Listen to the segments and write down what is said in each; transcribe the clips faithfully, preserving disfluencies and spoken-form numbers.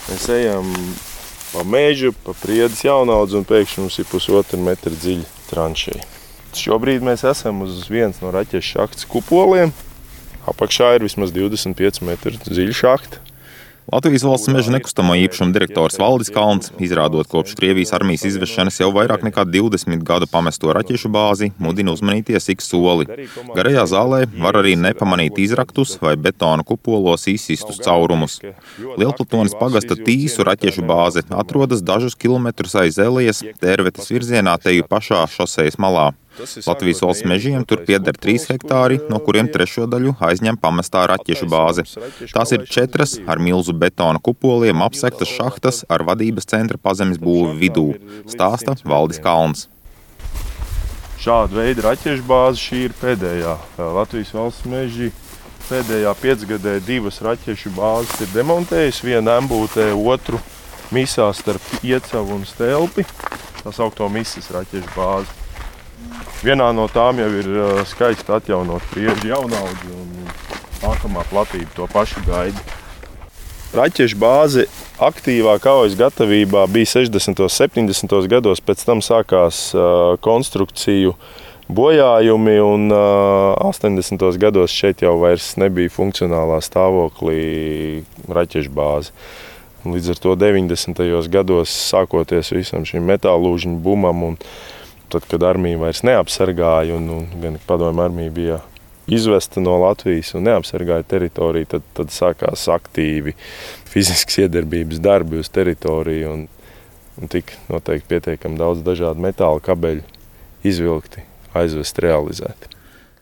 Mēs ejam pa mežu, pa Priedes Jaunaudzi un pēkšņi mums ir pusotra metra dziļa tranšeja. Šobrīd mēs esam uz viens no raķešu šahtas kupoliem. Apakšā ir vismaz divdesmit pieci metri dziļa šahta. Latvijas Valsts meža nekustamo īpašumu direktors Valdis Kalns, izrādot kopš Krievijas armijas izvešanas jau vairāk nekā divdesmit gadu pamesto raķešu bāzi, mudina uzmanīties ik soli. Garajā zālē var arī nepamanīt izraktus vai betona kupolos izsistus caurumus. Lielplatones pagasta Tīsu raķešu bāze atrodas dažus kilometrus aiz Elijas, Tērvetes virzienā teju pašā šosejas malā. Latvijas Valsts mežiem tur pieder trīs hektāri, no kuriem trešo daļu aizņem pamestā raķešu bāze. Tās ir četras ar milzu betona kupoliem apsektas šahtas ar vadības centra pazemes būvi vidū, stāsta Valdis Kalns. Šāda veida raķešu bāze šī ir pēdējā. Latvijas Valsts meži pēdējā piecgadē divas raķešu bāzes ir demontējusi, viena Embūtē, otru misā starp Iecavu un Stelpi, tā saukto misas raķešu bāzi. Vienā no tām jau ir skaisti atjaunot Priežu Jaunaudzi un nākamā platība to pašu gaida. Raķešu bāze aktīvā kaujas gatavībā bija sešdesmitos, septiņdesmitos gados, pēc tam sākās konstrukciju bojājumi un astoņdesmitos gados šeit jau vairs nebija funkcionālā stāvoklī raķešu bāze. Līdz ar to deviņdesmitajos gados sākoties visam šim metālūžņu bumam un tad, kad armija vairs neapsargāja un, un gan padomju armija bija izvesta no Latvijas un neapsargāja teritoriju, tad, tad sākās aktīvi fiziskas iedarbības darbi uz teritoriju un, un tik noteikti pietiekami daudz dažādu metāla kabeļu izvilkti, aizvest, realizēti.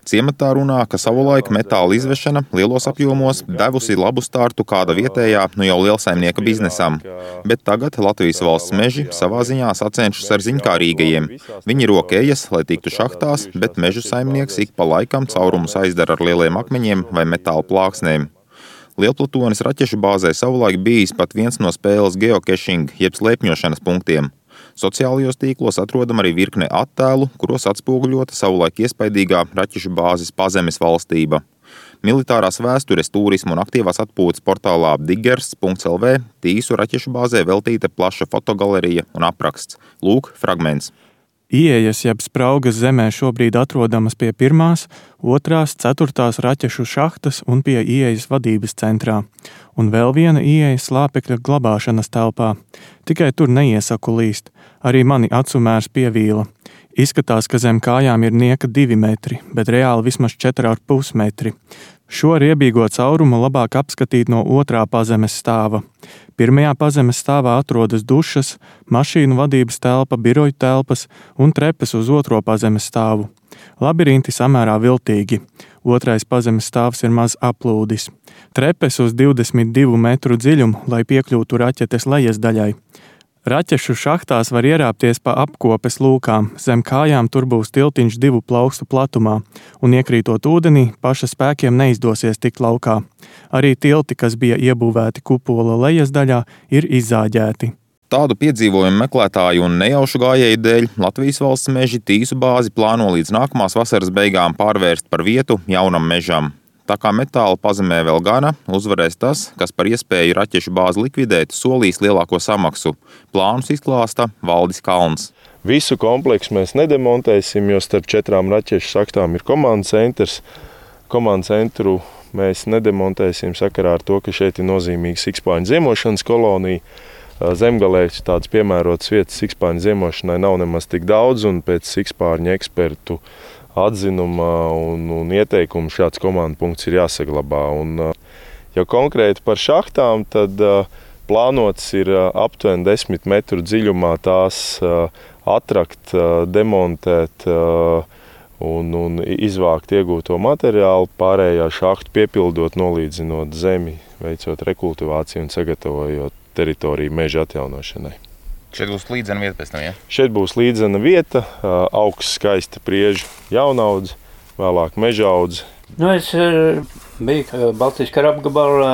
Ciematā runā, ka savulaik metāla izvešana lielos apjomos devusi labu startu kāda vietējā, nu jau lielsaimnieka biznesam. Bet tagad Latvijas Valsts meži savā ziņā sacenšas ar ziņkārīgajiem. Viņi rokējas, lai tiktu šahtās, bet mežu saimnieks ik pa laikam caurumus aizdara ar lieliem akmeņiem vai metāla plāksnēm. Lielplatones raķešu bāzē savulaik bijis pat viens no spēles geocaching, jeb slēpņošanas punktiem. Sociālajos tīklos atrodam arī virkne attēlu, kuros atspoguļota savulaik iespaidīgā raķešu bāzes pazemes valstība. Militārās vēstures, turismu un aktīvās atpūtas portālā diggers punkts el vē Tīsu raķešu bāzē veltīta plaša fotogalerija un apraksts. Lūk, fragments. Ieejas jeb spraugas zemē šobrīd atrodamas pie pirmās, otrās, ceturtās raķešu šahtas un pie ieejas vadības centrā. Un vēl viena ieeja slāpekļa glabāšanas telpā. Tikai tur neiesaku līst. Arī mani acumērs pievīla. Izskatās, ka zem kājām ir nieka divi metri, bet reāli vismaz četri ar pus metri. Šo riebīgo caurumu labāk apskatīt no otrā pazemes stāva. Pirmajā pazemes stāvā atrodas dušas, mašīnu vadības telpa, biroju telpas un trepes uz otro pazemes stāvu. Labirinti samērā viltīgi. Otrais pazemes stāvs ir maz aplūdis. Trepes uz divdesmit divu metru dziļumu, lai piekļūtu raķetes lejas daļai. Raķešu šahtās var ierāpties pa apkopes lūkām, zem kājām tur būs tiltiņš divu plaukstu platumā, un iekrītot ūdenī, paša spēkiem neizdosies tikt laukā. Arī tilti, kas bija iebūvēti kupola lejas daļā, ir izzāģēti. Tādu piedzīvojumu meklētāju un nejaušu gājēju dēļ Latvijas Valsts meži Tīsu bāzi plāno līdz nākamās vasaras beigām pārvērst par vietu jaunam mežam. Tā kā metāla pazemē vēl gana, uzvarēs tas, kas par iespēju raķešu bāzi likvidēt solīs lielāko samaksu. Plānus izklāsta Valdis Kalns. Visu kompleksu mēs nedemontēsim, jo starp četrām raķešu šahtām ir komandas centrs. Komandas centru mēs nedemontēsim sakarā ar to, ka šeit ir nozīmīga sikspāņu ziemošanas kolonija. Zemgalē tādas piemērotas vietas sikspāņu ziemošanai nav nemaz tik daudz, un pēc sikspārņu ekspertu atzinuma un, un ieteikumu šāds komandu punkts ir jāsaglabā. Un, ja konkrēti par šahtām, tad uh, plānots ir uh, aptuveni desmit metru dziļumā tās uh, atrakt, uh, demontēt uh, un, un izvākt iegūto materiālu, pārējā šahtu piepildot, nolīdzinot zemi, veicot rekultivāciju un sagatavojot teritoriju meža atjaunošanai. Šeit būs līdzena vieta pēc tam, ja? Šeit būs līdzena vieta, augsts skaista Priežu Jaunaudze, vēlāk Mežaudze. Nu, es biju Baltijas kara apgabala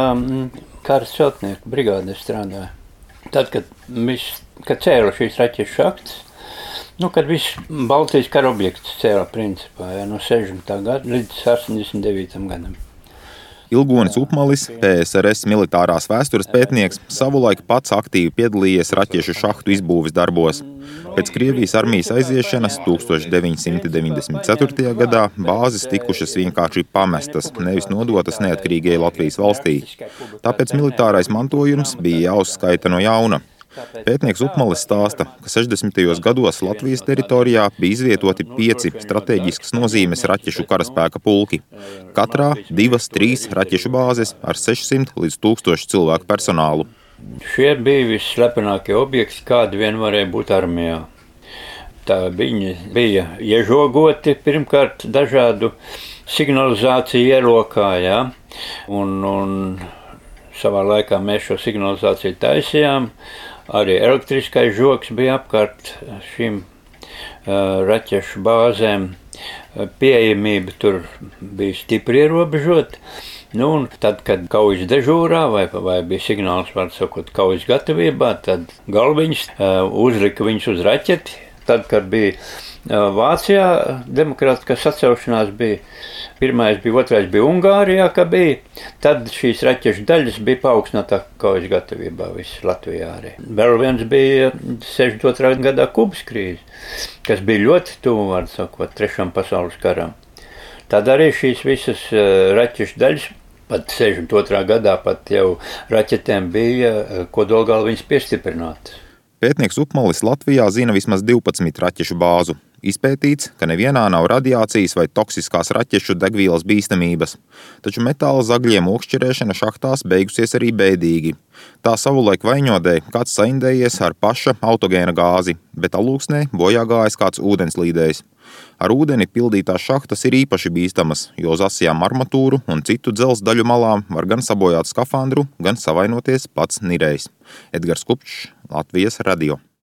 kara celtnieku brigādē strādāju. Tad, kad, viss, kad cēla šīs raķešu šahtas, nu, kad viss Baltijas kara objekts cēla principā, ja, no sešdesmitā gada līdz astoņdesmit devītam gadam. Ilgonis Upmalis, P S R S militārās vēstures pētnieks, savulaik pats aktīvi piedalījies raķešu šahtu izbūves darbos. Pēc Krievijas armijas aiziešanas tukstovš deviņsimt deviņdesmit ceturtajā gadā bāzes tikušas vienkārši pamestas, nevis nodotas neatkarīgajai Latvijas valstī. Tāpēc militārais mantojums bija jāuzskaita no jauna. Pētnieks Upmalis stāsta, ka sešdesmitajos gados Latvijas teritorijā bija izvietoti pieci strateģiskas nozīmes raķešu karaspēka pulki. Katrā divas, trīs raķešu bāzes ar sešsimt līdz tūkstošu cilvēku personālu. Šie bija visslepenākie objekti, kādi vien varēja būt armijā. Tā viņi bija iežogoti pirmkārt dažādu signalizāciju ierokā, jā, un, un savā laikā mēs šo signalizāciju taisījām. Arī elektriskais žoks bija apkārt šīm uh, raķešu bāzēm. Pieejamība tur bija stipri ierobežota. Nu, un tad, kad kaujas dežūrā vai, vai bija signāls, var sakot, kaujas gatavībā, tad galviņš uh, uzlika viņus uz raķeti. Tad, kad bija uh, Vācijā demokrātiskā sacelšanās bija, pirmais bija, otrais bija Ungārijā, ka bija, tad šīs raķešu daļas bija paaugstinātā kaujas gatavībā viss Latvijā arī. Vēl viens bija sešdesmit otrā gadā Kubas krīze, kas bija ļoti tuvu, var sakot, trešam pasaules karam. Tad arī šīs visas uh, raķešu daļas, pat sešdesmit otrā gadā pat jau raķetēm bija uh, kodolgalviņas piestiprinātas. Pētnieks Upmalis Latvijā zina vismaz divpadsmit raķešu bāzu. Izpētīts, ka nevienā nav radiācijas vai toksiskās raķešu degvielas bīstamības, taču metāla zagļiem okšķerēšana šahtās beigusies arī bēdīgi. Tā savulaik Vaņodē kāds saindējies ar paša autogēna gāzi, bet alūksnē bojā gājis kāds ūdenslīdējs. Ar ūdeni pildītās šahtas ir īpaši bīstamas, jo uz asijām armatūru un citu dzelzs daļu malām var gan sabojāt skafandru, gan savainoties pats nirējs. Edgars Kupčs, Latvijas radio.